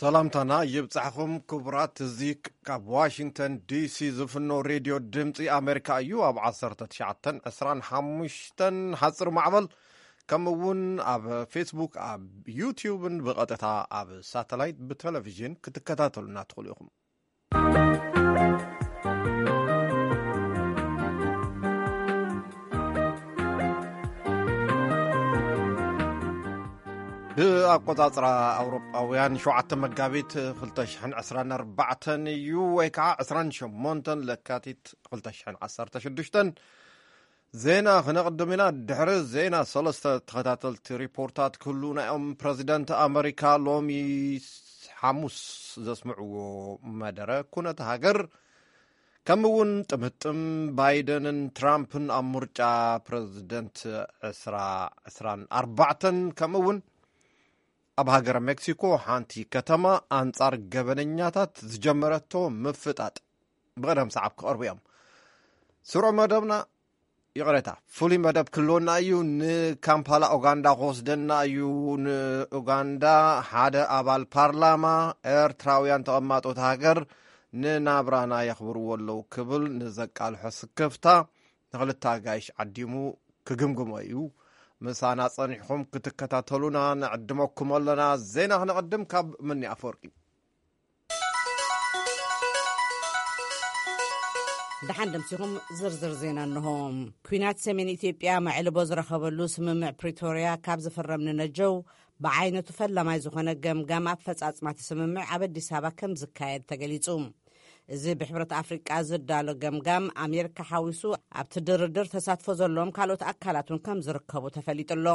ሰላምታና ይብጻሕኹም ክቡራት። እዚ ካብ ዋሽንግተን ዲሲ ዝፍኖ ሬድዮ ድምፂ ኣሜሪካ እዩ። ኣብ ዓሰርተ ትሽዓተን ዕስራን ሓሙሽተን ሓፂር ማዕበል፣ ከምኡ እውን ኣብ ፌስቡክ፣ ኣብ ዩቲዩብን ብቐጥታ ኣብ ሳተላይት ብቴሌቪዥን ክትከታተሉና ትኽእሉ ኢኹም። ብኣቆጻጽራ ኣውሮጳውያን ሸውዓተ መጋቢት ክልተ ሽሕን ዕስራን ኣርባዕተን እዩ፣ ወይ ከዓ ዕስራን ሸሞንተን ለካቲት ክልተ ሽሕን ዓሰርተ ሽዱሽተን። ዜና ክነቕድም ኢና። ድሕሪ ዜና ሰለስተ ተኸታተልቲ ሪፖርታት ክህሉና እዮም። ፕረዚደንት ኣመሪካ ሎሚ ሓሙስ ዘስምዕዎ መደረ ኩነተ ሃገር፣ ከምኡ እውን ጥምጥም ባይደንን ትራምፕን ኣብ ምርጫ ፕረዚደንት ዕስራ ዕስራን ኣርባዕተን፣ ከምኡ እውን ኣብ ሃገረ ሜክሲኮ ሓንቲ ከተማ ኣንጻር ገበነኛታት ዝጀመረቶ ምፍጣጥ ብቐደም ሰዓብ ክቐርቡ እዮም። ስሩዕ መደብና፣ ይቕሬታ፣ ፍሉይ መደብ ክህልወና እዩ። ንካምፓላ ኡጋንዳ ክወስደና እዩ። ንኡጋንዳ ሓደ ኣባል ፓርላማ፣ ኤርትራውያን ተቐማጦት ሃገር ንናብራና የኽብርዎ ኣለዉ ክብል ንዘቃልሖ ስክፍታ ንኽልተ ኣጋይሽ ዓዲሙ ክግምግሞ እዩ። ምሳና ጸኒሕኩም ክትከታተሉና ንዕድመኩም ኣለና። ዜና ክነቐድም ካብ ምኒ ኣፈወርቂ። ደሓን ደምሲኹም ዝርዝር ዜና እንሆ። ኲናት ሰሜን ኢትዮጵያ መዕልቦ ዝረኸበሉ ስምምዕ ፕሪቶርያ ካብ ዝፍረም ንነጀው፣ ብዓይነቱ ፈላማይ ዝኾነ ገምጋም ኣፈጻጽማ እቲ ስምምዕ ኣብ ኣዲስ ኣበባ ከም ዝካየድ ተገሊጹ። እዚ ብሕብረት ኣፍሪቃ ዝዳሎ ገምጋም፣ ኣሜሪካ ሓዊሱ፣ ኣብቲ ድርድር ተሳትፎ ዘለዎም ካልኦት ኣካላት እውን ከም ዝርከቡ ተፈሊጡ ኣሎ።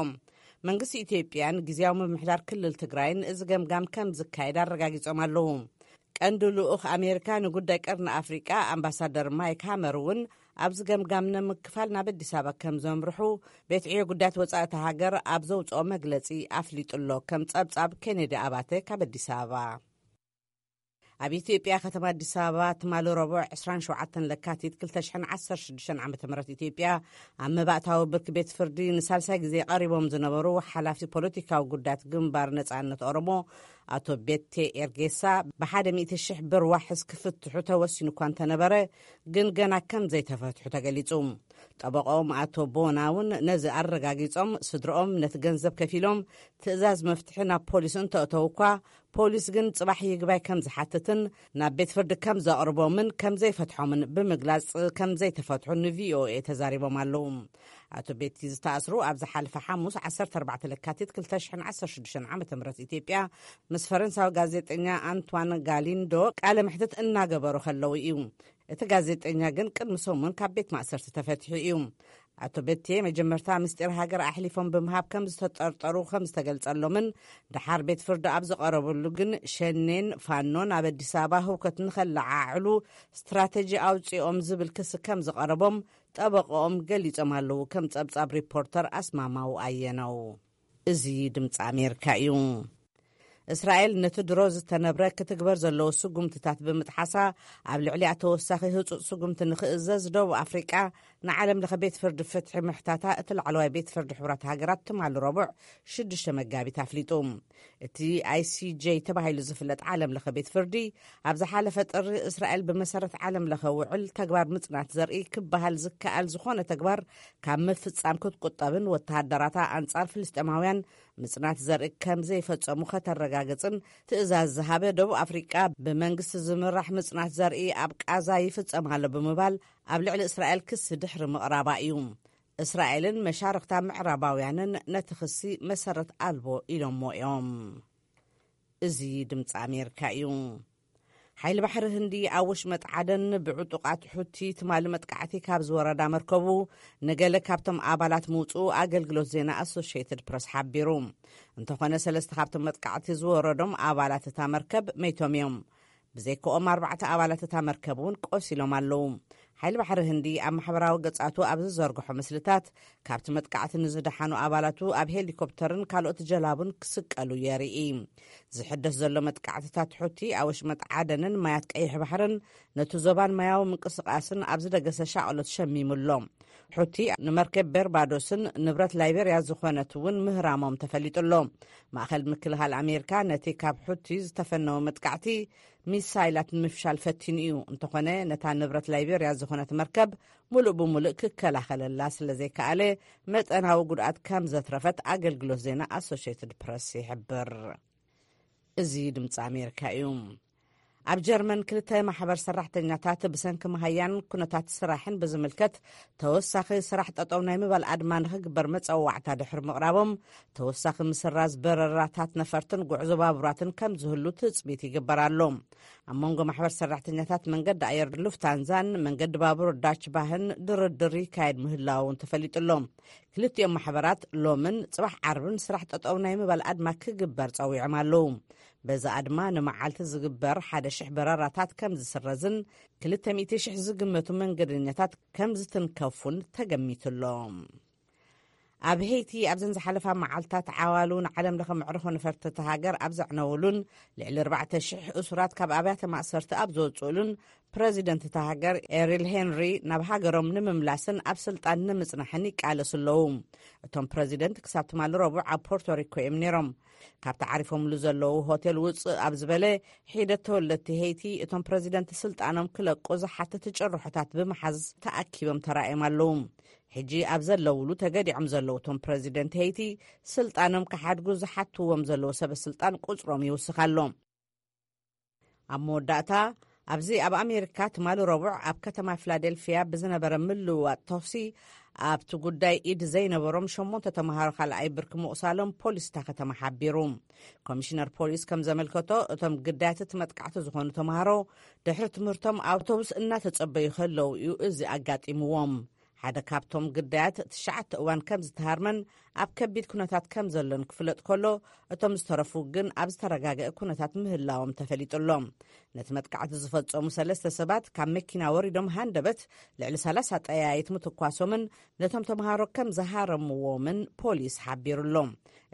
መንግስቲ ኢትዮጵያን ግዝያዊ ምምሕዳር ክልል ትግራይን እዚ ገምጋም ከም ዝካየድ ኣረጋጊጾም ኣለዉ። ቀንዲ ልኡኽ ኣሜሪካ ንጉዳይ ቀርኒ ኣፍሪቃ ኣምባሳደር ማይክ ሃመር እውን ኣብዚ ገምጋም ንምክፋል ናብ ኣዲስ ኣበባ ከም ዘምርሑ ቤት ዕዮ ጉዳያት ወጻኢ እታ ሃገር ኣብ ዘውጽኦ መግለጺ ኣፍሊጡ ኣሎ። ከም ጸብጻብ ኬኔዲ ኣባተ ካብ ኣዲስ ኣበባ። ኣብ ኢትዮጵያ ከተማ ኣዲስ ኣበባ ትማሊ ረቡዕ ዕስራን ሸውዓተን ለካቲት ክልተ ሽሕን ዓሰርተ ሽዱሽተን ዓመተ ምህረት ኢትዮጵያ ኣብ መባእታዊ ብርኪ ቤት ፍርዲ ንሳልሳይ ግዜ ቀሪቦም ዝነበሩ ሓላፊ ፖለቲካዊ ጉዳያት ግንባር ነጻነት ኦሮሞ ኣቶ ቤቴ ኤርጌሳ ብሓደ ሚእቲ ሽሕ ብር ዋሕስ ክፍትሑ ተወሲኑ እኳ እንተነበረ፣ ግን ገና ከም ዘይተፈትሑ ተገሊጹ። ጠበቆም ኣቶ ቦና እውን ነዚ ኣረጋጊጾም፣ ስድርኦም ነቲ ገንዘብ ከፊሎም ትእዛዝ መፍትሒ ናብ ፖሊስ እንተእተው እኳ፣ ፖሊስ ግን ጽባሕ ይግባይ ከም ዝሓትትን ናብ ቤት ፍርዲ ከም ዘቕርቦምን ከም ዘይፈትሖምን ብምግላጽ፣ ከም ዘይተፈትሑ ንቪኦኤ ተዛሪቦም ኣለዉ። ኣቶ ቤቲ ዝተኣስሩ ኣብ ዝሓለፈ ሓሙስ ዓሰርተ ኣርባዕተ ለካቲት ክልተ ሽሕን ዓሰርተ ሽዱሽተን ዓመተ ምህረት ኢትዮጵያ ምስ ፈረንሳዊ ጋዜጠኛ ኣንቷን ጋሊንዶ ቃለ መሕትት እናገበሩ ከለዉ እዩ። እቲ ጋዜጠኛ ግን ቅድሚ ሰሙን ካብ ቤት ማእሰርቲ ተፈቲሑ እዩ። ኣቶ ቤቴ መጀመርታ ምስጢር ሃገር ኣሕሊፎም ብምሃብ ከም ዝተጠርጠሩ ከም ዝተገልጸሎምን፣ ደሓር ቤት ፍርዲ ኣብ ዝቐረበሉ ግን ሸኔን ፋኖን ኣብ ኣዲስ ኣበባ ህውከት ንኸለዓዕሉ ስትራተጂ ኣውጺኦም ዝብል ክሲ ከም ዝቐረቦም ጠበቆኦም ገሊጾም ኣለዉ። ከም ጸብጻብ ሪፖርተር ኣስማማው ኣየነው። እዚ ድምፂ ኣሜሪካ እዩ። እስራኤል ነቲ ድሮ ዝተነብረ ክትግበር ዘለዎ ስጉምትታት ብምጥሓሳ፣ ኣብ ልዕሊኣ ተወሳኺ ህጹጽ ስጉምቲ ንኽእዘዝ ደቡብ ኣፍሪቃ ንዓለም ለኸ ቤት ፍርዲ ፍትሒ ምሕታታ እቲ ላዕለዋይ ቤት ፍርዲ ሕቡራት ሃገራት ትማሊ ረቡዕ ሽዱሽተ መጋቢት ኣፍሊጡ። እቲ ኣይ ሲ ጄ ተባሂሉ ዝፍለጥ ዓለም ለኸ ቤት ፍርዲ፣ ኣብ ዝሓለፈ ጥሪ እስራኤል ብመሰረት ዓለም ለኸ ውዕል ተግባር ምጽናት ዘርኢ ክበሃል ዝከኣል ዝኾነ ተግባር ካብ ምፍጻም ክትቁጠብን ወተሃደራታ ኣንጻር ፍልስጤማውያን ምጽናት ዘርኢ ከም ዘይፈጸሙ ከተረጋግጽን ትእዛዝ ዝሃበ፣ ደቡብ ኣፍሪቃ ብመንግስቲ ዝምራሕ ምጽናት ዘርኢ ኣብ ቃዛ ይፍጸም ኣሎ ብምባል ኣብ ልዕሊ እስራኤል ክሲ ድሕሪ ምቕራባ እዩ። እስራኤልን መሻርኽታ ምዕራባውያንን ነቲ ክሲ መሰረት ኣልቦ ኢሎሞ እዮም። እዚ ድምፂ ኣሜሪካ እዩ። ሓይሊ ባሕሪ ህንዲ ኣብ ወሽመጥ ዓደን ብዕጡቓት ሑቲ ትማሊ መጥቃዕቲ ካብ ዝወረዳ መርከቡ፣ ንገለ ካብቶም ኣባላት ምውፅኡ ኣገልግሎት ዜና ኣሶሽየትድ ፕረስ ሓቢሩ። እንተኾነ፣ ሰለስተ ካብቶም መጥቃዕቲ ዝወረዶም ኣባላት እታ መርከብ መይቶም እዮም። ብዘይካኦም፣ ኣርባዕተ ኣባላት እታ መርከብ እውን ቆሲሎም ኣለዉ። ሓይሊ ባሕሪ ህንዲ ኣብ ማሕበራዊ ገጻቱ ኣብ ዝዘርግሖ ምስልታት፣ ካብቲ መጥቃዕቲ ንዝደሓኑ ኣባላቱ ኣብ ሄሊኮፕተርን ካልኦት ጀላቡን ክስቀሉ የርኢ። ዝሕደስ ዘሎ መጥቃዕትታት ሑቲ ኣብ ወሽመጥ ዓደንን ማያት ቀይሕ ባሕርን፣ ነቲ ዞባን ማያዊ ምንቅስቓስን ኣብ ዝደገሰ ሻቕሎት ሸሚሙ ኣሎ። ሑቲ ንመርከብ በርባዶስን ንብረት ላይቤርያ ዝኾነት እውን ምህራሞም ተፈሊጡ ኣሎ። ማእኸል ምክልኻል ኣሜሪካ ነቲ ካብ ሑቲ ዝተፈነወ መጥቃዕቲ ሚሳይላት ንምፍሻል ፈቲኑ እዩ። እንተኾነ፣ ነታ ንብረት ላይቤርያ ዝኾነት መርከብ ሙሉእ ብሙሉእ ክከላኸለላ ስለ ዘይከኣለ፣ መጠናዊ ጉድኣት ከም ዘትረፈት ኣገልግሎት ዜና ኣሶሽየትድ ፕረስ ይሕብር። እዚ ድምፂ ኣሜሪካ እዩ። ኣብ ጀርመን ክልተ ማሕበር ሰራሕተኛታት ብሰንኪ መሃያን ኩነታት ስራሕን ብዝምልከት ተወሳኺ ስራሕ ጠጠው ናይ ምባል ኣድማ ንኽግበር መፀዋዕታ ድሕሪ ምቕራቦም፣ ተወሳኺ ምስራዝ በረራታት ነፈርትን ጉዕዞ ባቡራትን ከም ዝህሉ ትፅቢት ይግበር ኣሎ። ኣብ መንጎ ማሕበር ሰራሕተኛታት መንገዲ ኣየር ሉፍታንዛን መንገዲ ባቡር ዳች ባህን ድርድር ይካየድ ምህላው እውን ተፈሊጡ ኣሎ። ክልቲኦም ማሕበራት ሎምን ጽባሕ ዓርብን ስራሕ ጠጠው ናይ ምባል ኣድማ ክግበር ጸዊዖም ኣለዉ። በዚ ኣድማ ንመዓልቲ ዝግበር ሓደ ሽሕ በረራታት ከም ዝስረዝን ክልተ ሚእቲ ሽሕ ዝግመቱ መንገደኛታት ከም ዝትንከፉን ተገሚቱ ኣሎ። ኣብ ሄይቲ ኣብዘን ዝሓለፋ መዓልታት ዓዋሉ ንዓለም ለኸ መዕርፎ ነፈርቲ እታ ሃገር ኣብ ዘዕነውሉን ልዕሊ ኣርባዕተ ሽሕ እሱራት ካብ ኣብያተ ማእሰርቲ ኣብ ዝወፅኡሉን ፕረዚደንት እታ ሃገር ኤሪል ሄንሪ ናብ ሃገሮም ንምምላስን ኣብ ስልጣን ንምጽናሕን ይቃለሱ ኣለዉ። እቶም ፕረዚደንት ክሳብ ትማሊ ረቡዕ ኣብ ፖርቶሪኮ እዮም ነይሮም። ካብቲ ዓሪፎምሉ ዘለዉ ሆቴል ውፅእ ኣብ ዝበለ ሒደት ተወለድቲ ሄይቲ፣ እቶም ፕረዚደንት ስልጣኖም ክለቁ ዝሓትት ጭርሖታት ብምሓዝ ተኣኪቦም ተራእዮም ኣለዉ። ሕጂ ኣብ ዘለውሉ ተገዲዖም ዘለዉ እቶም ፕረዚደንት ሄይቲ፣ ስልጣኖም ክሓድጉ ዝሓትዎም ዘለዉ ሰበ ስልጣን ቁጽሮም ይውስኽ ኣሎ። ኣብ መወዳእታ፣ ኣብዚ ኣብ ኣሜሪካ ትማሊ ረቡዕ ኣብ ከተማ ፊላደልፊያ ብዝነበረ ምልውዋጥ ተኹሲ፣ ኣብቲ ጉዳይ ኢድ ዘይነበሮም ሸሞንተ ተምሃሮ ካልኣይ ብርኪ ምቑሳሎም ፖሊስ እታ ከተማ ሓቢሩ። ኮሚሽነር ፖሊስ ከም ዘመልከቶ፣ እቶም ግዳያት እቲ መጥቃዕቲ ዝኾኑ ተምሃሮ ድሕሪ ትምህርቶም ኣውቶቡስ እናተጸበዩ ከለዉ እዩ እዚ ኣጋጢምዎም። ሓደ ካብቶም ግዳያት ትሽዓተ እዋን ከም ዝተሃርመን ኣብ ከቢድ ኩነታት ከም ዘሎን ክፍለጥ ከሎ፣ እቶም ዝተረፉ ግን ኣብ ዝተረጋገአ ኩነታት ምህላዎም ተፈሊጡ ኣሎ። ነቲ መጥቃዕቲ ዝፈጸሙ ሰለስተ ሰባት ካብ መኪና ወሪዶም ሃንደበት ልዕሊ ሰላሳ ጠያይት ምትኳሶምን ነቶም ተምሃሮ ከም ዝሃረምዎምን ፖሊስ ሓቢሩ ኣሎ።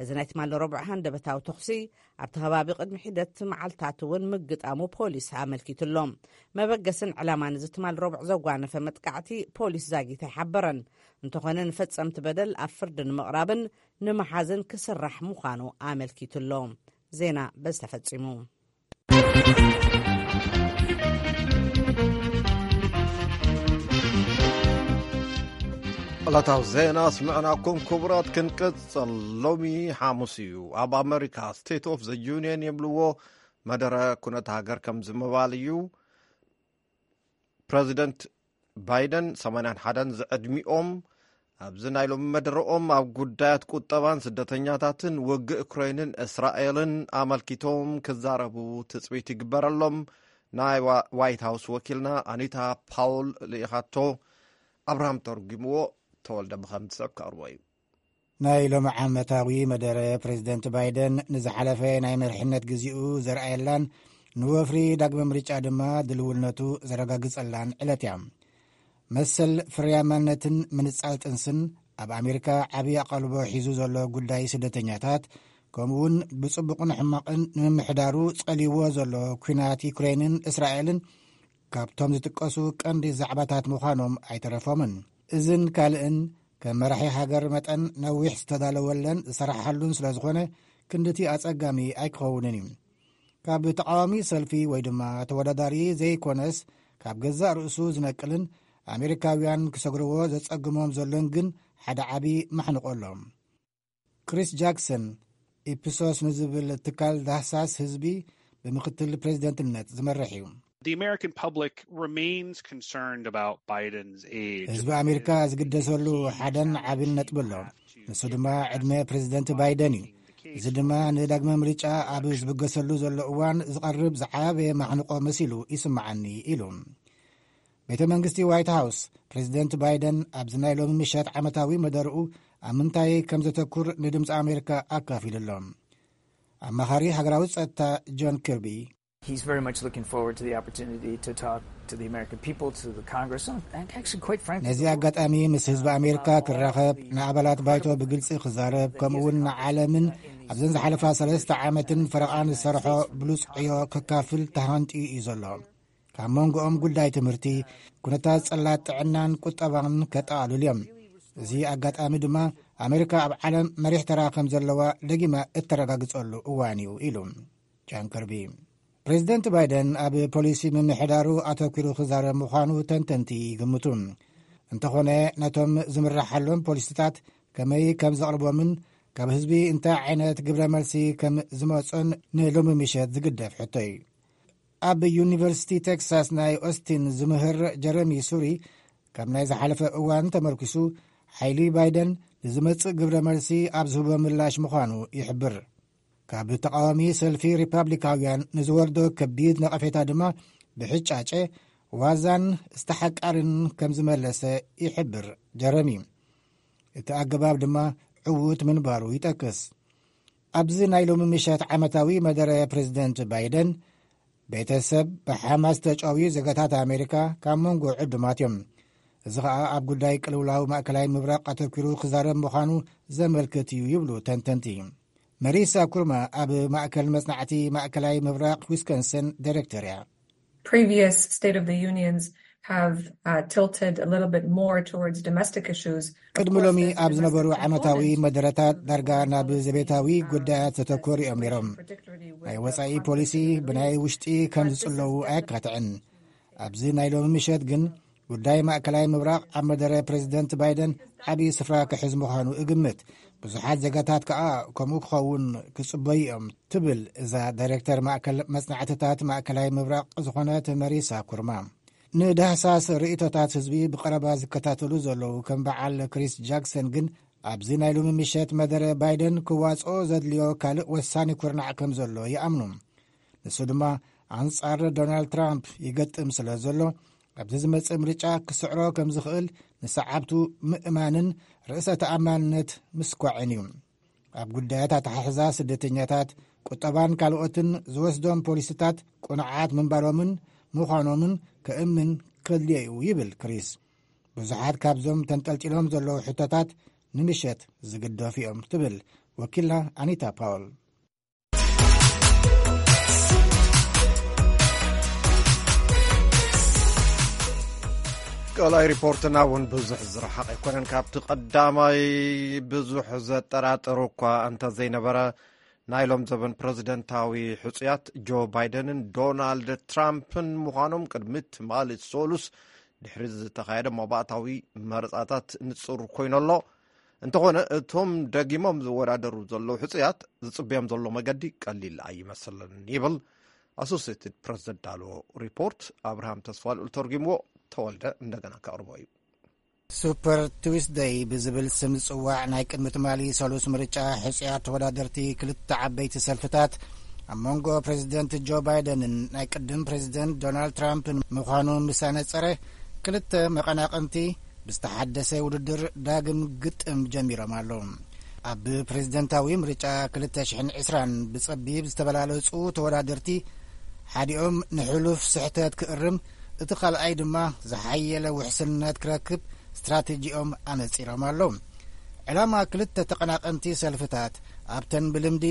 እዚ ናይ ትማሊ ረቡዕ ሃንደበታዊ ተኹሲ ኣብቲ ከባቢ ቅድሚ ሒደት መዓልታት እውን ምግጣሙ ፖሊስ ኣመልኪቱ ኣሎ። መበገስን ዕላማን እዚ ትማሊ ረቡዕ ዘጓነፈ መጥቃዕቲ ፖሊስ ዛጊት ኣይሓበረን። እንተኾነ፣ ንፈጸምቲ በደል ኣብ ፍርዲ ንምቕራብን ንምሓዝን ክስራሕ ምዃኑ ኣመልኪቱ ኣሎ። ዜና በዚ ተፈጺሙ። ዕለታዊ ዜና ስምዕናኩም ክቡራት፣ ክንቅጽል። ሎሚ ሓሙስ እዩ። ኣብ ኣመሪካ ስቴት ኦፍ ዘ ዩኒየን የብልዎ መደረ ኩነት ሃገር ከም ዝምባል እዩ። ፕረዚደንት ባይደን ሰማንያን ሓደን ዝዕድሚኦም ኣብዚ ናይ ሎሚ መደረኦም ኣብ ጉዳያት ቁጠባን ስደተኛታትን ውግእ ዩክሬንን እስራኤልን ኣመልኪቶም ክዛረቡ ትጽቢት ይግበረሎም። ናይ ዋ-፣ ዋይት ሃውስ ወኪልና ኣኒታ ፓውል ልኢኻቶ። ኣብርሃም ተርጉምዎ፣ ተወልደ ብኸም ዝስዕብ ከቕርቦ እዩ። ናይ ሎሚ ዓመታዊ መደረ ፕሬዚደንት ባይደን ንዝሓለፈ ናይ መሪሕነት ግዜኡ ዘርኣየላን ንወፍሪ ዳግመ ምርጫ ድማ ድልውነቱ ዘረጋግጸላን ዕለት እያ። መሰል ፍርያማነትን ምንጻል ጥንስን ኣብ ኣሜሪካ ዓብዪ ኣቓልቦ ሒዙ ዘሎ ጉዳይ ስደተኛታት፣ ከምኡውን ብጽቡቕን ሕማቕን ንምምሕዳሩ ጸልይዎ ዘሎ ኲናት ዩክሬንን እስራኤልን ካብቶም ዝጥቀሱ ቀንዲ ዛዕባታት ምዃኖም ኣይተረፎምን። እዝን ካልእን ከም መራሒ ሃገር መጠን ነዊሕ ዝተዳለወለን ዝሰራሕሉን ስለ ዝኾነ፣ ክንድቲ ኣጸጋሚ ኣይክኸውንን እዩ። ካብ ተቃዋሚ ሰልፊ ወይ ድማ ተወዳዳሪ ዘይኮነስ፣ ካብ ገዛእ ርእሱ ዝነቅልን ኣሜሪካውያን ክሰግርዎ ዘጸግሞም ዘሎን ግን ሓደ ዓቢ ማሕንቆ ኣሎ። ክሪስ ጃክሰን፣ ኢፕሶስ ንዝብል ትካል ዳህሳስ ህዝቢ ብምክትል ፕሬዚደንትነት ዝመርሕ እዩ። The American public remains concerned about Biden's age. ህዝቢ ኣሜሪካ ዝግደሰሉ ሓደን ዓብን ነጥቢ ኣሎ። ንሱ ድማ ዕድመ ፕሬዚደንት ባይደን እዩ። እዚ ድማ ንዳግመ ምርጫ ኣብ ዝብገሰሉ ዘሎ እዋን ዝቐርብ ዝዓበየ ማሕንቆ መሲሉ ይስምዓኒ ኢሉ። ቤተ መንግስቲ ዋይት ሃውስ፣ ፕሬዚደንት ባይደን ኣብዚ ናይ ሎሚ ምሸት ዓመታዊ መደርኡ ኣብ ምንታይ ከም ዘተኩር ንድምፂ ኣሜሪካ ኣካፊሉ ኣሎ። ኣማኻሪ ሃገራዊ ጸጥታ ጆን ኪርቢ፣ He's very much looking forward to the opportunity to talk to the American people, to the Congress, and actually, quite frankly, ነዚ ኣጋጣሚ ምስ ህዝቢ ኣሜሪካ ክራኸብ፣ ንኣባላት ባይቶ ብግልጺ ክዛረብ፣ ከምኡ እውን ንዓለምን ኣብዘን ዝሓለፋ ሰለስተ ዓመትን ፈረቓን ዝሰርሖ ብሉጽ ዕዮ ከካፍል ተሃንጥዩ እዩ ዘሎ። ካብ መንጎኦም ጉዳይ ትምህርቲ፣ ኩነታት ጽላት ጥዕናን ቁጠባን ከጠቓልሉ እዮም። እዚ ኣጋጣሚ ድማ ኣሜሪካ ኣብ ዓለም መሪሕ ተራ ከም ዘለዋ ደጊማ እተረጋግጸሉ እዋን እዩ ኢሉ ጃን ከርቢ። ፕሬዚደንት ባይደን ኣብ ፖሊሲ ምምሕዳሩ ኣተኲሩ ክዛረብ ምዃኑ ተንተንቲ ይግምቱ። እንተኾነ፣ ነቶም ዝምርሓሎም ፖሊሲታት ከመይ ከም ዘቕርቦምን ካብ ህዝቢ እንታይ ዓይነት ግብረ መልሲ ከም ዝመጾን ንሎሚ ምሸት ዝግደፍ ሕቶ እዩ። ኣብ ዩኒቨርሲቲ ቴክሳስ ናይ ኦስቲን ዝምህር ጀረሚ ሱሪ፣ ካብ ናይ ዝሓለፈ እዋን ተመርኪሱ፣ ሓይሊ ባይደን ንዝመጽእ ግብረ መልሲ ኣብ ዝህቦ ምላሽ ምዃኑ ይሕብር። ካብ ተቃዋሚ ሰልፊ ሪፓብሊካውያን ንዝወርዶ ከቢድ ነቐፌታ ድማ ብሕጫጨ ዋዛን ዝተሓቃርን ከም ዝመለሰ ይሕብር ጀረሚ። እቲ ኣገባብ ድማ ዕዉት ምንባሩ ይጠቅስ። ኣብዚ ናይ ሎሚ ምሸት ዓመታዊ መደረ ፕሬዚደንት ባይደን፣ ቤተሰብ ብሓማስ ተጨውዩ ዜጋታት ኣሜሪካ ካብ መንጎ ዕዱማት እዮም። እዚ ኸኣ ኣብ ጉዳይ ቅልውላው ማእከላይ ምብራቕ ኣተኲሩ ክዛረብ ምዃኑ ዘመልክት እዩ ይብሉ ተንተንቲ። መሪሳ ኩርማ ኣብ ማእከል መጽናዕቲ ማእከላይ ምብራቕ ዊስኮንሰን ዳይሬክተር እያ። Previous State of the Unions have uh, tilted a little bit more towards domestic issues. ቅድሚ ሎሚ ኣብ ዝነበሩ ዓመታዊ መደረታት ዳርጋ ናብ ዘቤታዊ ጉዳያት ዘተኮሩ እዮም ነይሮም። ናይ ወጻኢ ፖሊሲ ብናይ ውሽጢ ከም ዝጽለዉ ኣየካትዕን። ኣብዚ ናይ ሎሚ ምሸት ግን ጉዳይ ማእከላይ ምብራቕ ኣብ መደረ ፕሬዚደንት ባይደን ዓብዪ ስፍራ ክሕዝ ምዃኑ እግምት። ብዙሓት ዜጋታት ከኣ ከምኡ ክኸውን ክጽበዩ እዮም ትብል እዛ ዳይሬክተር ማእከል መጽናዕትታት ማእከላይ ምብራቕ ዝኾነት መሪሳ ኩርማ። ንዳህሳስ ርእይቶታት ህዝቢ ብቐረባ ዝከታተሉ ዘለዉ ከም በዓል ክሪስ ጃክሰን ግን ኣብዚ ናይ ሎሚ ምሸት መደረ ባይደን ክዋጽኦ ዘድልዮ ካልእ ወሳኒ ኩርናዕ ከም ዘሎ ይኣምኑ። ንሱ ድማ ኣንጻር ዶናልድ ትራምፕ ይገጥም ስለ ዘሎ፣ ኣብዚ ዝመጽእ ምርጫ ክስዕሮ ከም ዝኽእል ንሰዓብቱ ምእማንን ርእሰ ተኣማንነት ምስኳዕን እዩ። ኣብ ጉዳያት ኣተሓሕዛ ስደተኛታት፣ ቁጠባን ካልኦትን ዝወስዶም ፖሊሲታት ቅኑዓት ምንባሮምን ምዃኖምን ከእምን ከድልዮ እዩ ይብል ክሪስ። ብዙሓት ካብዞም ተንጠልጢሎም ዘለዉ ሕቶታት ንምሸት ዝግደፉ እዮም ትብል ወኪልና ኣኒታ ፓውል። ካልኣይ ሪፖርትና እውን ብዙሕ ዝረሓቕ ኣይኮነን። ካብቲ ቀዳማይ ብዙሕ ዘጠራጥር እኳ እንተዘይነበረ፣ ናይ ሎም ዘበን ፕረዚደንታዊ ሕጹያት ጆ ባይደንን ዶናልድ ትራምፕን ምዃኖም ቅድሚ ትማሊ ሰሉስ ድሕሪ ዝተኻየደ መባእታዊ መረጻታት ንጹር ኮይኑ ኣሎ። እንተኾነ፣ እቶም ደጊሞም ዝወዳደሩ ዘለዉ ሕጹያት ዝጽበዮም ዘሎ መገዲ ቀሊል ኣይመስልን ይብል ኣሶሴትድ ፕረስ ዘዳለዎ ሪፖርት። ኣብርሃም ተስፋልኡል ተርጒምዎ፣ ተወልደ እንደገና ከቕርቦ እዩ። ሱፐር ቱስደይ ብዝብል ስም ዝጽዋዕ ናይ ቅድሚ ትማሊ ሰሉስ ምርጫ ሕጹያት ተወዳደርቲ ክልተ ዓበይቲ ሰልፍታት ኣብ መንጎ ፕሬዚደንት ጆ ባይደንን ናይ ቅድም ፕሬዚደንት ዶናልድ ትራምፕን ምዃኑ ምስ ኣነጸረ፣ ክልተ መቐናቕንቲ ብዝተሓደሰ ውድድር ዳግም ግጥም ጀሚሮም ኣለዉ። ኣብ ፕሬዚደንታዊ ምርጫ ክልተ ሽሕን ዕስራን ብጸቢብ ዝተበላለጹ ተወዳደርቲ፣ ሓዲኦም ንሕሉፍ ስሕተት ክእርም፣ እቲ ካልኣይ ድማ ዝሓየለ ውሕስነት ክረክብ ስትራተጂኦም ኣነጺሮም ኣለዉ። ዕላማ ክልተ ተቐናቐንቲ ሰልፍታት ኣብተን ብልምዲ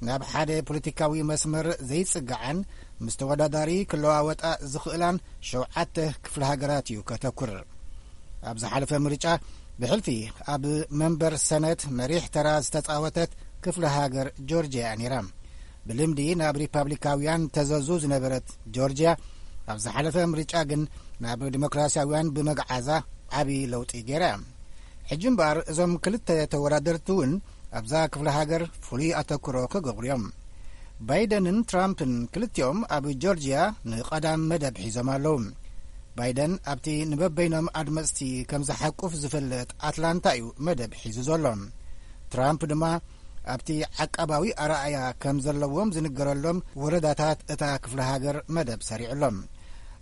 ናብ ሓደ ፖለቲካዊ መስመር ዘይጽግዓን ምስ ተወዳዳሪ ክለዋወጣ ዝኽእላን ሸውዓተ ክፍለ ሃገራት እዩ ከተኩር። ኣብ ዝሓለፈ ምርጫ ብሕልፊ ኣብ መንበር ሰነት መሪሕ ተራ ዝተጻወተት ክፍለ ሃገር ጆርጅያ እያ ነይራ። ብልምዲ ናብ ሪፓብሊካውያን ተዘዙ ዝነበረት ጆርጅያ፣ ኣብ ዝሓለፈ ምርጫ ግን ናብ ዲሞክራሲያውያን ብምግዓዛ ዓቢ ለውጢ ገይራ እያ። ሕጂ እምበኣር እዞም ክልተ ተወዳደርቲ እውን ኣብዛ ክፍለ ሃገር ፍሉይ ኣተኩሮ ክገብሩ እዮም። ባይደንን ትራምፕን ክልቲኦም ኣብ ጆርጅያ ንቐዳም መደብ ሒዞም ኣለዉ። ባይደን ኣብቲ ንበበይኖም ኣድመጽቲ ከም ዝሓቁፍ ዝፍለጥ ኣትላንታ እዩ መደብ ሒዙ ዘሎ። ትራምፕ ድማ ኣብቲ ዓቃባዊ ኣረኣያ ከም ዘለዎም ዝንገረሎም ወረዳታት እታ ክፍለ ሃገር መደብ ሰሪዑሎም።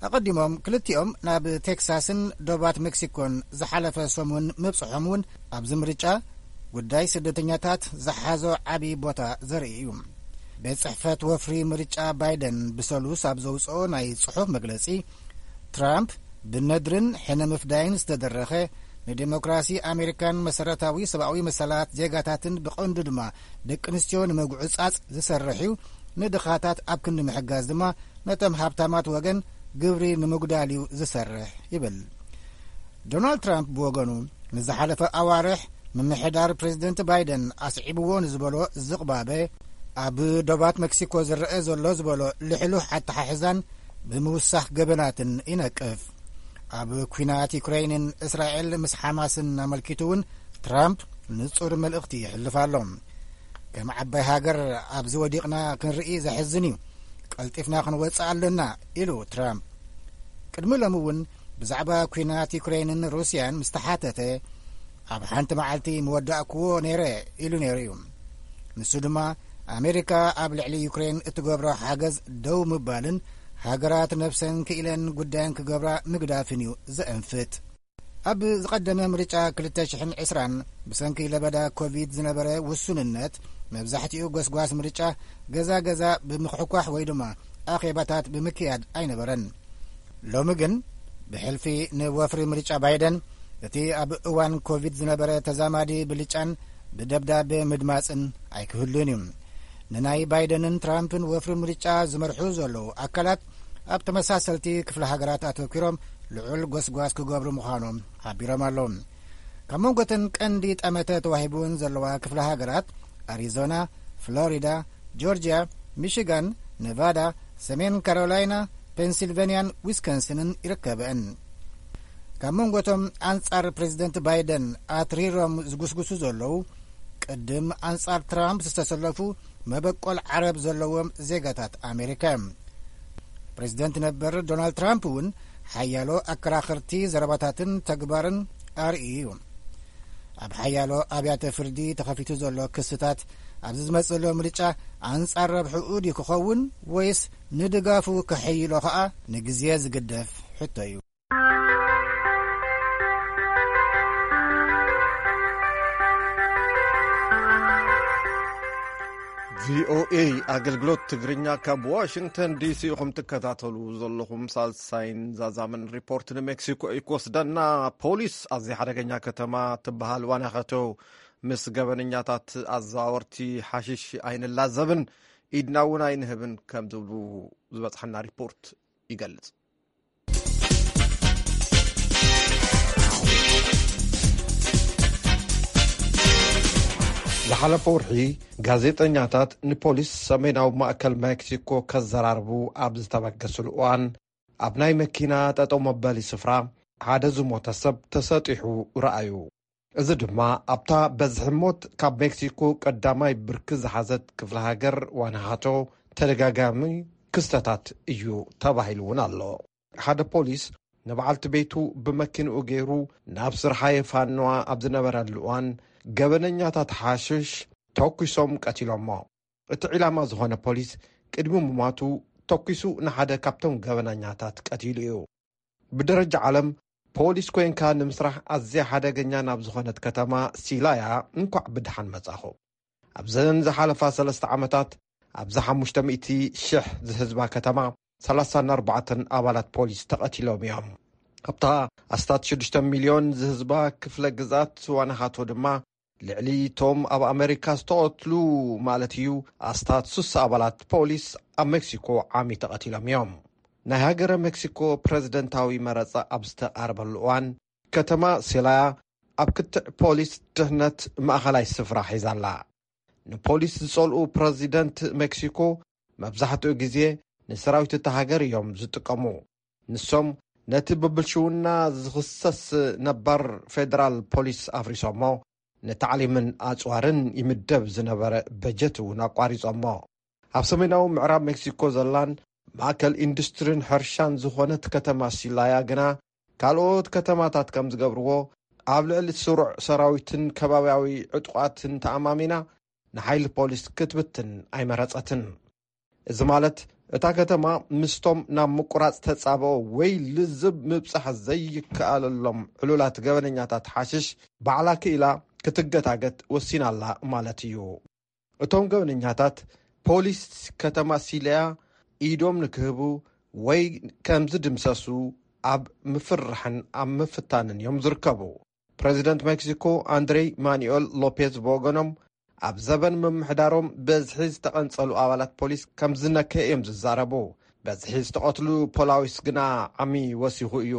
ኣቐዲሞም ክልቲኦም ናብ ቴክሳስን ዶባት ሜክሲኮን ዝሓለፈ ሰሙን ምብጽሖም እውን ኣብዚ ምርጫ ጉዳይ ስደተኛታት ዝሓዞ ዓቢ ቦታ ዘርኢ እዩ። ቤት ጽሕፈት ወፍሪ ምርጫ ባይደን ብሰሉስ ኣብ ዘውጽኦ ናይ ጽሑፍ መግለጺ፣ ትራምፕ ብነድርን ሕነ ምፍዳይን ዝተደረኸ፣ ንዴሞክራሲ ኣሜሪካን መሰረታዊ ሰብኣዊ መሰላት ዜጋታትን ብቐንዱ ድማ ደቂ ኣንስትዮ ንምጉዕጻጽ ዝሰርሕ እዩ። ንድኻታት ኣብ ክንዲ ምሕጋዝ ድማ ነቶም ሃብታማት ወገን ግብሪ ንምጉዳል እዩ ዝሰርሕ ይብል። ዶናልድ ትራምፕ ብወገኑ፣ ንዝሓለፈ ኣዋርሕ ምምሕዳር ፕሬዚደንት ባይደን ኣስዒብዎ ንዝበሎ ዝቕባበ፣ ኣብ ዶባት መክሲኮ ዝረአ ዘሎ ዝበሎ ልሕሉሕ ኣተሓሕዛን ብምውሳኽ ገበናትን ይነቅፍ። ኣብ ኲናት ዩክሬይንን እስራኤል ምስ ሓማስን ኣመልኪቱ እውን ትራምፕ ንጹር መልእኽቲ ይሕልፍ ኣሎ። ከም ዓባይ ሃገር ኣብዚ ወዲቕና ክንርኢ ዘሕዝን እዩ። ቀልጢፍና ክንወጽእ ኣለና፣ ኢሉ ትራምፕ። ቅድሚ ሎሚ እውን ብዛዕባ ኲናት ዩክሬይንን ሩስያን ምስ ተሓተተ፣ ኣብ ሓንቲ መዓልቲ ምወዳእክዎ ነይረ፣ ኢሉ ነይሩ እዩ። ንሱ ድማ፣ ኣሜሪካ ኣብ ልዕሊ ዩክሬን እትገብሮ ሓገዝ ደው ምባልን ሃገራት ነብሰን ክኢለን ጉዳየን ክገብራ ምግዳፍን እዩ ዘእንፍት። ኣብ ዝቐደመ ምርጫ ክልተ ሽሕን ዕስራን ብሰንኪ ለበዳ ኮቪድ ዝነበረ ውሱንነት፣ መብዛሕትኡ ጎስጓስ ምርጫ ገዛ ገዛ ብምኽሕኳሕ ወይ ድማ ኣኼባታት ብምክያድ ኣይነበረን። ሎሚ ግን፣ ብሕልፊ ንወፍሪ ምርጫ ባይደን፣ እቲ ኣብ እዋን ኮቪድ ዝነበረ ተዛማዲ ብልጫን ብደብዳቤ ምድማጽን ኣይክህሉን እዩ። ንናይ ባይደንን ትራምፕን ወፍሪ ምርጫ ዝመርሑ ዘለዉ ኣካላት፣ ኣብ ተመሳሰልቲ ክፍለ ሃገራት ኣተኲሮም ልዑል ጎስጓስ ክገብሩ ምዃኖም ሓቢሮም ኣለዉ። ካብ መንጎተን ቀንዲ ጠመተ ተዋሂቡን ዘለዋ ክፍለ ሃገራት፣ ኣሪዞና፣ ፍሎሪዳ፣ ጆርጅያ፣ ሚሽጋን፣ ነቫዳ፣ ሰሜን ካሮላይና፣ ፔንሲልቨንያን ዊስኮንስንን ይርከበን። ካብ መንጎቶም ኣንጻር ፕሬዚደንት ባይደን ኣትሪሮም ዝጉስጉሱ ዘለዉ፣ ቅድም ኣንጻር ትራምፕ ዝተሰለፉ መበቆል ዓረብ ዘለዎም ዜጋታት ኣሜሪካ እዮም። ፕሬዚደንት ነበር ዶናልድ ትራምፕ እውን ሓያሎ ኣከራኸርቲ ዘረባታትን ተግባርን ኣርእዩ እዩ። ኣብ ሓያሎ ኣብያተ ፍርዲ ተኸፊቱ ዘሎ ክስታት፣ ኣብዚ ዝመጽእ ዘሎ ምርጫ ኣንጻር ረብሕኡ ድዩ ክኸውን፣ ወይስ ንድጋፉ ከሐይሎ ከኣ ንግዜ ዝግደፍ ሕቶ እዩ። ቪኦኤ ኣገልግሎት ትግርኛ ካብ ዋሽንግተን ዲሲ ኢኹም ትከታተሉ ዘለኹም። ሳልሳይን ዛዛምን ሪፖርት ንሜክሲኮ እዩ ክወስደና። ፖሊስ ኣብ ዘይሓደገኛ ከተማ ትበሃል ዋናኸቶ ምስ ገበነኛታት ኣዘዋወርቲ ሓሽሽ ኣይንላዘብን፣ ኢድና እውን ኣይንህብን ከም ዝብሉ ዝበፅሐና ሪፖርት ይገልፅ። ዝሓለፈ ወርሒ ጋዜጠኛታት ንፖሊስ ሰሜናዊ ማእከል ሜክሲኮ ከዘራርቡ ኣብ ዝተበገስሉ እዋን፣ ኣብ ናይ መኪና ጠጠው መበሊ ስፍራ ሓደ ዝሞተ ሰብ ተሰጢሑ ረኣዩ። እዚ ድማ ኣብታ በዝሒ ሞት ካብ ሜክሲኮ ቀዳማይ ብርኪ ዝሓዘት ክፍለ ሃገር ዋናሃቶ ተደጋጋሚ ክስተታት እዩ ተባሂሉ እውን ኣሎ። ሓደ ፖሊስ ንበዓልቲ ቤቱ ብመኪንኡ ገይሩ ናብ ስርሓ የፋንዋ ኣብ ዝነበረሉ እዋን፣ ገበነኛታት ሓሽሽ ተኩሶም ቀቲሎሞ። እቲ ዒላማ ዝኾነ ፖሊስ ቅድሚ ምሟቱ ተኩሱ ንሓደ ካብቶም ገበነኛታት ቀቲሉ እዩ። ብደረጃ ዓለም ፖሊስ ኮይንካ ንምስራሕ ኣዝያ ሓደገኛ ናብ ዝኾነት ከተማ ሲላያ እንኳዕ ብደሓን መጻኹ። ኣብዘን ዝሓለፋ ሰለስተ ዓመታት ኣብዚ ሓሙሽተ ሚእቲ ሽሕ ዝህዝባ ከተማ ሰላሳን ኣርባዕተን ኣባላት ፖሊስ ተቐቲሎም እዮም። ኣብታ ኣስታት ሽዱሽተ ሚልዮን ዝህዝባ ክፍለ ግዝኣት ዋናሃቶ ድማ ልዕሊ እቶም ኣብ ኣመሪካ ዝተቐትሉ ማለት እዩ ኣስታት ሱሳ ኣባላት ፖሊስ ኣብ ሜክሲኮ ዓሚ ተቐቲሎም እዮም። ናይ ሃገረ ሜክሲኮ ፕረዚደንታዊ መረጻ ኣብ ዝተቓረበሉ እዋን ከተማ ሴላያ ኣብ ክትዕ ፖሊስ ድሕነት ማእኸላይ ስፍራ ሒዛ ኣላ። ንፖሊስ ዝጸልኡ ፕረዚደንት ሜክሲኮ መብዛሕትኡ ግዜ ንሰራዊት እታ ሃገር እዮም ዝጥቀሙ። ንሶም ነቲ ብብልሽውና ዝኽሰስ ነባር ፌደራል ፖሊስ ኣፍሪሶሞ፣ ንታዕሊምን ኣጽዋርን ይምደብ ዝነበረ በጀት እውን ኣቋሪጾሞ። ኣብ ሰሜናዊ ምዕራብ ሜክሲኮ ዘላን ማእከል ኢንዱስትሪን ሕርሻን ዝኾነት ከተማ ሲላያ ግና ካልኦት ከተማታት ከም ዝገብርዎ ኣብ ልዕሊ ስሩዕ ሰራዊትን ከባብያዊ ዕጡቓትን ተኣማሚና ንሓይሊ ፖሊስ ክትብትን ኣይመረጸትን። እዚ ማለት እታ ከተማ ምስቶም ናብ ምቁራጽ ተጻብኦ ወይ ልዝብ ምብጻሕ ዘይከኣለሎም ዕሉላት ገበነኛታት ሓሽሽ ባዕላ ክኢላ ክትገታገት ወሲና ኣላ ማለት እዩ። እቶም ገበነኛታት ፖሊስ ከተማ ሲልያ ኢዶም ንክህቡ ወይ ከም ዝድምሰሱ ኣብ ምፍርራሕን ኣብ ምፍታንን እዮም ዝርከቡ። ፕረዚደንት ሜክሲኮ ኣንድሬ ማኑኤል ሎፔዝ ብወገኖም፣ ኣብ ዘበን ምምሕዳሮም በዝሒ ዝተቐንጸሉ ኣባላት ፖሊስ ከም ዝነከ እዮም ዝዛረቡ። በዝሒ ዝተቐትሉ ፖላዊስ ግና ዓሚ ወሲኹ እዩ።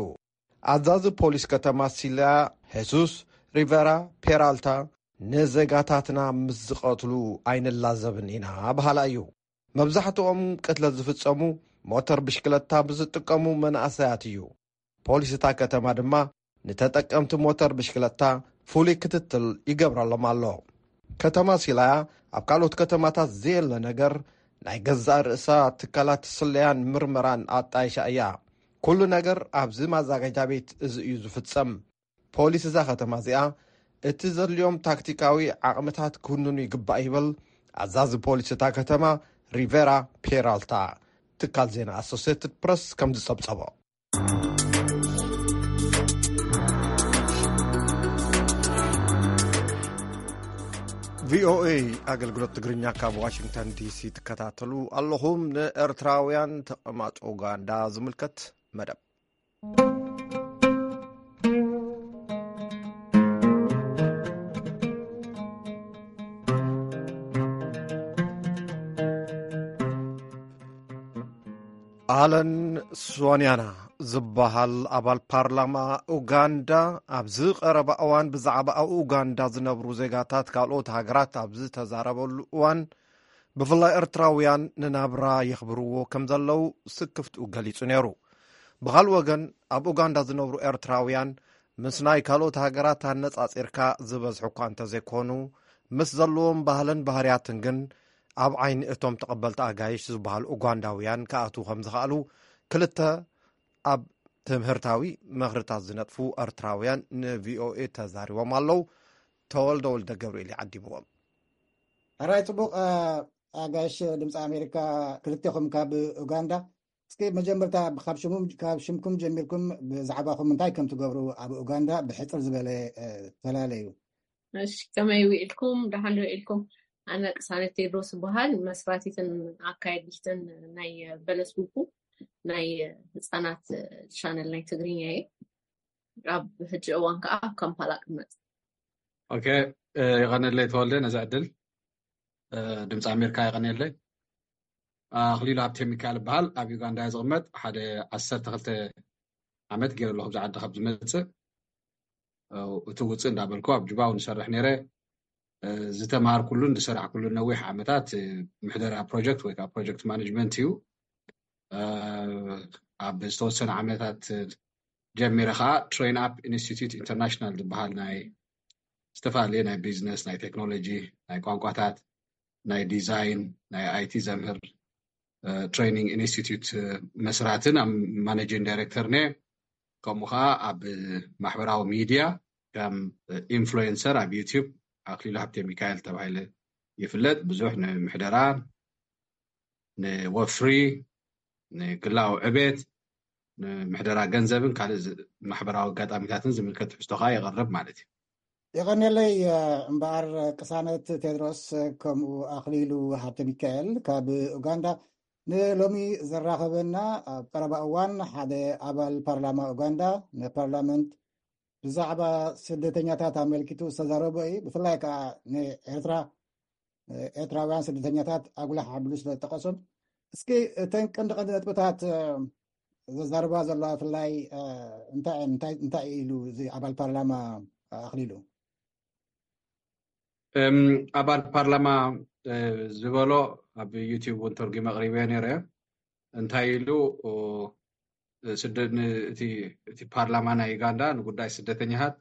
ኣዛዚ ፖሊስ ከተማ ሲልያ ሄሱስ ሪቨራ ፔራልታ፣ ንዜጋታትና ምስ ዝቐትሉ ኣይንላዘብን ኢና በሃላ እዩ። መብዛሕትኦም ቅትለት ዝፍጸሙ ሞተር ብሽክለታ ብዝጥቀሙ መናእሰያት እዩ። ፖሊስ እታ ከተማ ድማ ንተጠቀምቲ ሞተር ብሽክለታ ፍሉይ ክትትል ይገብረሎም ኣሎ። ከተማ ሲላያ ኣብ ካልኦት ከተማታት ዘየለ ነገር ናይ ገዛእ ርእሳ ትካላት ስለያን ምርመራን ኣጣይሻ እያ። ኩሉ ነገር ኣብዚ ማዛጋጃ ቤት እዚ እዩ ዝፍጸም። ፖሊስ እዛ ከተማ እዚኣ እቲ ዘድልዮም ታክቲካዊ ዓቕምታት ክውንኑ ይግባእ ይብል ኣዛዚ ፖሊስ እታ ከተማ ሪቬራ ፔራልታ። ትካል ዜና ኣሶሲየትድ ፕረስ ከም ዝጸብጸቦ። ቪኦኤ ኣገልግሎት ትግርኛ ካብ ዋሽንግተን ዲሲ ትከታተሉ ኣለኹም። ንኤርትራውያን ተቐማጦ ኡጋንዳ ዝምልከት መደብ። ኣለን ሶንያና ዝበሃል ኣባል ፓርላማ ኡጋንዳ ኣብዚ ቀረባ እዋን ብዛዕባ ኣብ ኡጋንዳ ዝነብሩ ዜጋታት ካልኦት ሃገራት ኣብ ዝተዛረበሉ እዋን፣ ብፍላይ ኤርትራውያን ንናብራ የኽብርዎ ከም ዘለዉ ስክፍትኡ ገሊጹ ነይሩ። ብኻልእ ወገን፣ ኣብ ኡጋንዳ ዝነብሩ ኤርትራውያን ምስ ናይ ካልኦት ሃገራት ኣነጻጺርካ ዝበዝሑ እኳ እንተዘይኮኑ፣ ምስ ዘለዎም ባህልን ባህርያትን ግን ኣብ ዓይኒ እቶም ተቐበልቲ ኣጋይሽ ዝበሃሉ ኡጋንዳውያን ክኣትዉ ከም ዝኸኣሉ ክልተ ኣብ ትምህርታዊ ምኽርታት ዝነጥፉ ኤርትራውያን ንቪኦኤ ተዛሪቦም ኣለዉ። ተወልደ ወልደ ገብርኤል ይዓዲምዎም። ሕራይ ጽቡቕ። ኣጋይሽ ድምፂ ኣሜሪካ፣ ክልቴኹም ካብ ኡጋንዳ። እስኪ መጀመርታ ካብ ሽሙም ካብ ሽምኩም ጀሚርኩም ብዛዕባኹም እንታይ ከም ትገብሩ ኣብ ኡጋንዳ ብሕፅር ዝበለ ተላለዩ። እሺ፣ ከመይ ውዒልኩም? ደሓን ዶ ውዒልኩም? ኣነ ቅሳነት ቴድሮስ እበሃል። መስራቲትን ኣካየዲትን ናይ በለስ ቡኩ ናይ ህፃናት ቻነል ናይ ትግርኛ እየ። ኣብ ሕጂ እዋን ከዓ ኣብ ካምፓላ ቅመጥ። ኦኬ፣ የቐነለይ ተወልደ ነዚ ዕድል። ድምፂ ኣሜሪካ የቐነለይ። ኣኽሊሉ ሃብተ ሚካኤል እበሃል። ኣብ ዩጋንዳ ዝቕመጥ ሓደ ዓሰርተ ክልተ ዓመት ገይረ ኣለኹ ብዚ ዓዲ ካብ ዝመፅእ። እቲ ውፅእ እንዳበልኩ ኣብ ጁባ እውን ዝሰርሕ ነይረ። ዝተማሃርኩሉን ዝሰራሕኩሉን ነዊሕ ዓመታት ምሕደራ ፕሮጀክት ወይ ከዓ ፕሮጀክት ማኔጅመንት እዩ። ኣብ ዝተወሰነ ዓመታት ጀሚረ ከዓ ትሬን ኣፕ ኢንስቲትዩት ኢንተርናሽናል ዝበሃል ናይ ዝተፈላለየ ናይ ቢዝነስ፣ ናይ ቴክኖሎጂ፣ ናይ ቋንቋታት፣ ናይ ዲዛይን፣ ናይ ኣይቲ ዘምህር ትሬኒንግ ኢንስቲትዩት መስራትን ኣብ ማኔጂንግ ዳይሬክተር ነ። ከምኡ ከዓ ኣብ ማሕበራዊ ሚድያ ከም ኢንፍሉዌንሰር ኣብ ዩቲዩብ ኣክሊሉ ሃብተ ሚካኤል ተባሂለ ይፍለጥ። ብዙሕ ንምሕደራ፣ ንወፍሪ፣ ንግላዊ ዕቤት፣ ንምሕደራ ገንዘብን ካልእ ማሕበራዊ ኣጋጣሚታትን ዝምልከት ትሕዝቶ ከዓ የቕርብ ማለት እዩ። የቐንየለይ። እምበኣር ቅሳነት ቴድሮስ ከምኡ ኣኽሊሉ ሃብተ ሚካኤል ካብ ኡጋንዳ ንሎሚ ዘራኸበና ኣብ ቀረባ እዋን ሓደ ኣባል ፓርላማ ኡጋንዳ ንፓርላመንት ብዛዕባ ስደተኛታት ኣመልኪቱ ዝተዛረቦ እዩ። ብፍላይ ከዓ ንኤርትራ ኤርትራውያን ስደተኛታት ኣጉላሕ ኣቢሉ ስለ ዝጠቐሶም፣ እስኪ እተን ቀንዲ ቀንዲ ነጥብታት ዘዛርባ ዘለዋ ብፍላይ እንታይ እንታይ እንታይ ኢሉ እዚ ኣባል ፓርላማ ኣኽሊሉ? እም፣ ኣባል ፓርላማ ዝበሎ ኣብ ዩቲዩብ እውን ተርጉመ ኣቕሪበ ነይረ። እንታይ ኢሉ እቲ ፓርላማ ናይ ዩጋንዳ ንጉዳይ ስደተኛታት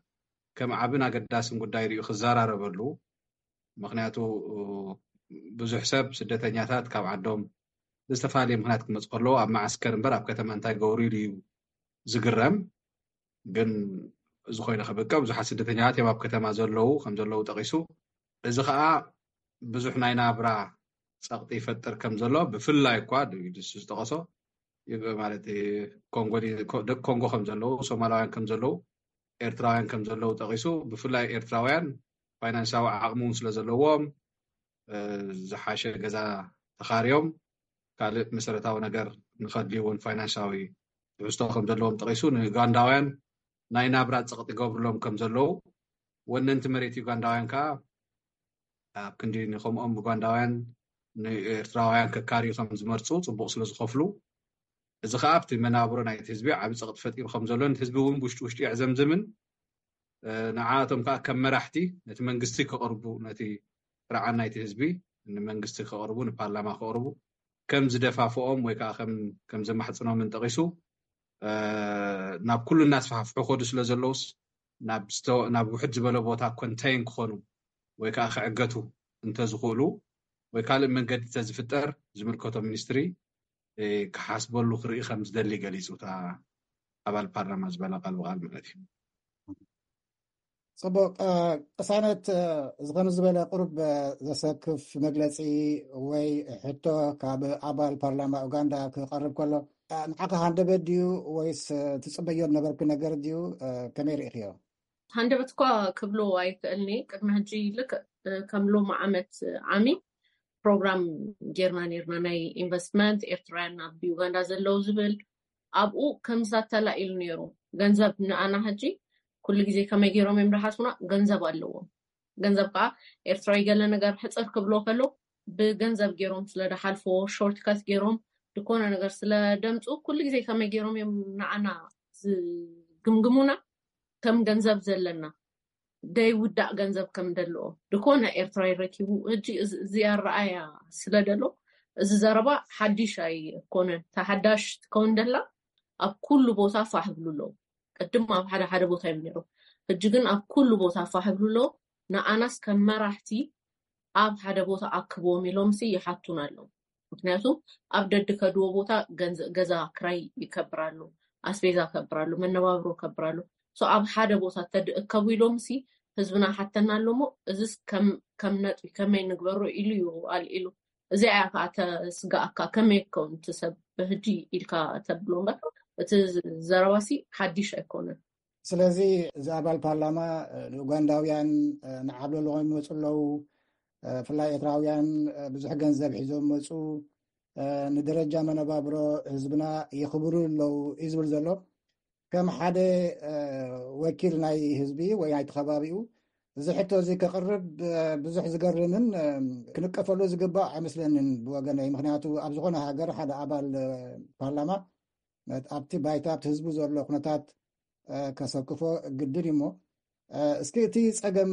ከም ዓብን ኣገዳስን ጉዳይ ሪኡ ክዘራረበሉ። ምክንያቱ ብዙሕ ሰብ ስደተኛታት ካብ ዓዶም ብዝተፈላለየ ምክንያት ክመፁ ከለዉ ኣብ መዓስከር እምበር ኣብ ከተማ እንታይ ገብሩ ኢሉ እዩ ዝግረም። ግን እዚ ኮይኑ ከበቃ ብዙሓት ስደተኛታት እዮም ኣብ ከተማ ዘለዉ ከም ዘለዉ ጠቂሱ። እዚ ከዓ ብዙሕ ናይ ናብራ ፀቕጢ ይፈጥር ከም ዘሎ ብፍላይ እኳ ንሱ ዝጠቐሶ ማለት ደቂ ኮንጎ ከም ዘለዉ፣ ሶማላውያን ከም ዘለዉ፣ ኤርትራውያን ከም ዘለዉ ጠቂሱ ብፍላይ ኤርትራውያን ፋይናንሳዊ ዓቕሚ እውን ስለ ዘለዎም ዝሓሸ ገዛ ተኻርዮም ካልእ መሰረታዊ ነገር ንኸድልዩ እውን ፋይናንሳዊ ትሕዝቶ ከም ዘለዎም ጠቒሱ፣ ንኡጋንዳውያን ናይ ናብራ ጸቕጢ ይገብሩሎም ከም ዘለዉ፣ ወነንቲ መሬት ኡጋንዳውያን ከኣ ኣብ ክንዲ ንከምኦም ኡጋንዳውያን ንኤርትራውያን ከካርዩ ከም ዝመርጹ ጽቡቕ ስለ ዝኸፍሉ፣ እዚ ከኣ ኣብቲ መናብሮ ናይቲ ህዝቢ ዓቢ ጸቕጢ ፈጢሩ ከም ዘሎ፣ ነቲ ህዝቢ እውን ውሽጢ ውሽጢ የዕዘምዝምን፣ ንዓኣቶም ከኣ ከም መራሕቲ ነቲ መንግስቲ ከቕርቡ፣ ነቲ ጥርዓን ናይቲ ህዝቢ ንመንግስቲ ከቕርቡ፣ ንፓርላማ ከቕርቡ ከም ዝደፋፍኦም ወይ ከዓ ከም ዘማሕፅኖምን ጠቒሱ፣ ናብ ኩሉ እናስፋሕፍሑ ከዱ ስለ ዘለውስ ናብ ውሕድ ዝበለ ቦታ ኮንተይን ክኾኑ ወይ ከዓ ክዕገቱ እንተዝኽእሉ ወይ ካልእ መንገዲ እንተዝፍጠር ዝምልከቶ ሚኒስትሪ ክሓስበሉ ክርኢ ከም ዝደሊ ገሊፁ፣ እታ ኣባል ፓርላማ ዝበላ ቃል ብቃል ማለት እዩ። ፅቡቅ። ቅሳነት፣ ዝኾነ ዝበለ ቁሩብ ዘሰክፍ መግለፂ ወይ ሕቶ ካብ ኣባል ፓርላማ ኡጋንዳ ክቐርብ ከሎ፣ ንዓኻ ሃንደበት ድዩ ወይስ ትፅበዮ ነበርኪ ነገር ድዩ? ከመይ ርኢኽዮ? ሃንደበት እኳ ክብሎ ኣይክእልኒ። ቅድሚ ሕጂ ልክዕ ከም ሎሚ ዓመት ዓሚ ፕሮግራም ጌርና ኔርና፣ ናይ ኢንቨስትመንት ኤርትራውያን ኣብ ዩጋንዳ ዘለዉ ዝብል። ኣብኡ ከምዛ ተላኢሉ ነይሩ። ገንዘብ ንኣና ሕጂ ኩሉ ግዜ ከመይ ገይሮም እዮም ዝሓስቡና? ገንዘብ ኣለዎም። ገንዘብ ከዓ ኤርትራዊ ገለ ነገር ሕፅር ክብሎ ከሎ ብገንዘብ ገይሮም ስለ ዝሓልፎ፣ ሾርትከት ገይሮም ዝኾነ ነገር ስለ ደምፁ ኩሉ ግዜ ከመይ ገይሮም እዮም ንኣና ዝግምግሙና? ከም ገንዘብ ዘለና ደይውዳእ ገንዘብ ከም ደለዎ ድኮነ ኤርትራዊ ረኪቡ። ሕጂ እዚ ኣረኣያ ስለ ደሎ እዚ ዘረባ ሓዲሽ ኣይኮነን። ተሓዳሽ ትከውን ደላ ኣብ ኩሉ ቦታ ፋሕ ብሉ ኣለዉ። ቅድም ኣብ ሓደ ሓደ ቦታ እዮም ነይሮም። ሕጂ ግን ኣብ ኩሉ ቦታ ፋሕ ብሉ ኣለዉ። ንኣናስ ከም መራሕቲ ኣብ ሓደ ቦታ ኣክብዎም ኢሎምሲ ይሓቱና ኣለዉ። ምክንያቱ ኣብ ደድከድዎ ቦታ ገዛ ክራይ ይከብር ኣሎ፣ ኣስቤዛ ከብር ኣሎ፣ መነባብሮ ከብር ኣሎ። ኣብ ሓደ ቦታ ተድእከቡ ኢሎም ሲ ህዝብና ሓተና ኣሎ ሞ እዚስ ከም ነጥቢ ከመይ ንግበሮ ኢሉ እዩ ኣልዒሉ። እዚኣ እያ ከዓ ተስጋኣካ፣ ከመይ ክከውን እቲ ሰብ ብሕጂ ኢልካ ተብሎ እምበር እቲ ዘረባ ሲ ሓዲሽ ኣይኮነን። ስለዚ እዚ ኣባል ፓርላማ ንኡጋንዳውያን ንዓብለሉ ይመፁ ኣለዉ፣ ብፍላይ ኤርትራውያን ብዙሕ ገንዘብ ሒዞም መፁ፣ ንደረጃ መነባብሮ ህዝብና የኽብሩ ኣለዉ እዩ ዝብል ዘሎ። ከም ሓደ ወኪል ናይ ህዝቢ ወይ ናይቲ ከባቢኡ እዚ ሕቶ እዚ ከቕርብ ብዙሕ ዝገርምን ክንቀፈሉ ዝግባእ ኣይመስለንን ብወገነይ። ምክንያቱ ኣብ ዝኾነ ሃገር ሓደ ኣባል ፓርላማ ኣብቲ ባይታ ኣብቲ ህዝቡ ዘሎ ኩነታት ከሰክፎ ግድን እዩ። እሞ እስኪ እቲ ፀገም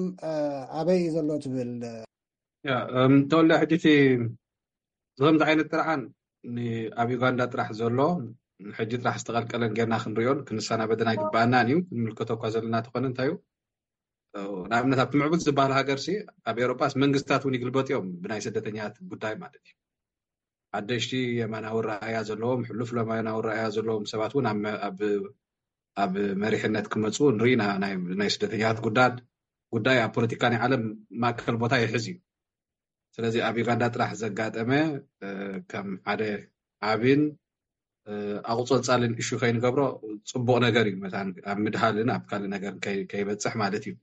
ኣበይ እዩ ዘሎ ትብል? ተወልደ፣ ሕጂ እቲ ከምዚ ዓይነት ጥርዓን ኣብ ዩጋንዳ ጥራሕ ዘሎ ሕጂ ጥራሕ ዝተቐልቀለን ጌርና ክንሪኦን ክንሰናበድን ኣይግበኣናን እዩ። ክንምልከቶ እኳ ዘለና ተኾነ እንታይ እዩ፣ ንኣብነት ኣብቲ ምዕቡል ዝበሃል ሃገር ሲ ኣብ ኤውሮጳስ መንግስታት እውን ይግልበጡ እዮም ብናይ ስደተኛታት ጉዳይ ማለት እዩ። ሓደሽቲ የማናዊ ረኣያ ዘለዎም፣ ሕሉፍ የማናዊ ረኣያ ዘለዎም ሰባት እውን ኣብ መሪሕነት ክመፁ ንርኢ ኢና። ናይ ስደተኛታት ጉዳድ ጉዳይ ኣብ ፖለቲካ ናይ ዓለም ማእከል ቦታ ይሕዝ እዩ። ስለዚ ኣብ ዩጋንዳ ጥራሕ ዘጋጠመ ከም ሓደ ዓብን ኣቁፀልፃልን እሹ ከይንገብሮ ፅቡቕ ነገር እዩ። መታን ኣብ ምድሃልን ኣብ ካልእ ነገር ከይበፅሕ ማለት እዩ።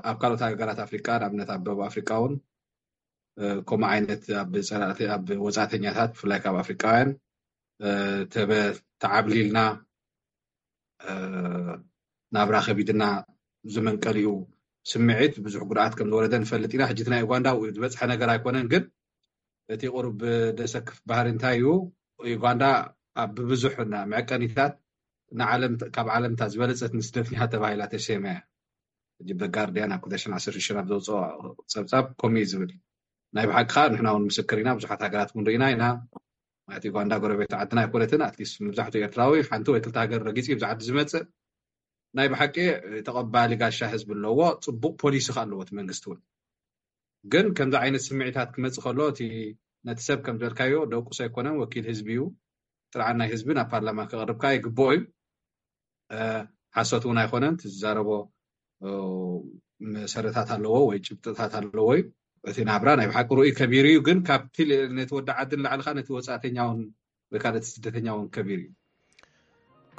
ኣብ ካልኦት ሃገራት ኣፍሪቃ፣ ንኣብነት ኣብ ደቡብ ኣፍሪቃ እውን ከምኡ ዓይነት ኣብ ፀላእቲ ኣብ ወፃእተኛታት ብፍላይ ካብ ኣፍሪቃውያን ተዓብሊልና ናብራ ከቢድና ዝመንቀሊኡ ስምዒት ብዙሕ ጉድኣት ከም ዝወረደ ንፈልጥ ኢና። ሕጂ እቲ ናይ ኡጋንዳ ዝበፅሐ ነገር ኣይኮነን፣ ግን እቲ ቁሩብ ደሰክፍ ባህሪ እንታይ እዩ? ዩጋንዳ ኣብ ብብዙሕ መዐቀኒታት ንዓለም ካብ ዓለምታት ዝበለፀት ንስደተኛ ተባሂላ ተሰይማ እያ። ሕጂ ብጋርዲያን ኣብ ክልተ ሽሕን ዓሰርተ ሽዱሽተን ኣብ ዘውፅኦ ፀብፃብ ከምኡ እዩ ዝብል። ናይ ብሓቂ ከዓ ንሕና እውን ምስክር ኢና፣ ብዙሓት ሃገራት እውን ርኢና ኢና። ማለት ዩጋንዳ ጎረቤት ዓድና ኣይኮነትን። ኣትሊስት መብዛሕትኡ ኤርትራዊ ሓንቲ ወይ ክልተ ሃገር ረጊፂ እዩ ብዚ ዓዲ ዝመፅእ። ናይ ብሓቂ ተቐባሊ ጋሻ ህዝቢ ኣለዎ፣ ፅቡቕ ፖሊሲ ከዓ ኣለዎ እቲ መንግስቲ እውን። ግን ከምዚ ዓይነት ስምዒታት ክመፅእ ከሎ እቲ ነቲ ሰብ ከም ዝበልካዮ ደቁስ ኣይኮነን፣ ወኪል ህዝቢ እዩ። ጥርዓን ናይ ህዝቢ ናብ ፓርላማ ከቕርብ ከዓ ይግብኦ እዩ። ሓሶት እውን ኣይኮነን፣ እቲ ዝዛረቦ መሰረታት ኣለዎ ወይ ጭብጥታት ኣለዎ እዩ። እቲ ናብራ ናይ ብሓቂ ርኡይ ከቢሩ እዩ፣ ግን ካብቲ ነቲ ወዲ ዓዲ ንላዕሊ ከዓ ነቲ ወፃእተኛ እውን ወይ ከዓ ነቲ ስደተኛ እውን ከቢሩ እዩ።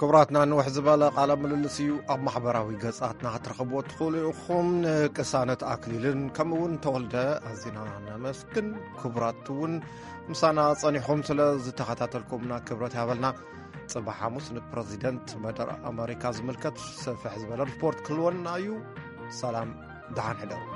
ክቡራትና፣ ንውሕ ዝበለ ቃለ ምልልስ እዩ። ኣብ ማሕበራዊ ገጻትና ክትረኽብዎ ትኽእሉ ኢኹም። ንቅሳነት ኣክሊልን ከምኡ እውን ተወልደ ኣዚና ነመስግን። ክቡራት እውን ምሳና ጸኒሕኩም ስለ ዝተኸታተልኩምና ክብረት ያበልና። ጽባሕ ሓሙስ ንፕረዚደንት መደር ኣመሪካ ዝምልከት ሰፍሕ ዝበለ ሪፖርት ክህልወና እዩ። ሰላም፣ ደሓን ሕደሩ።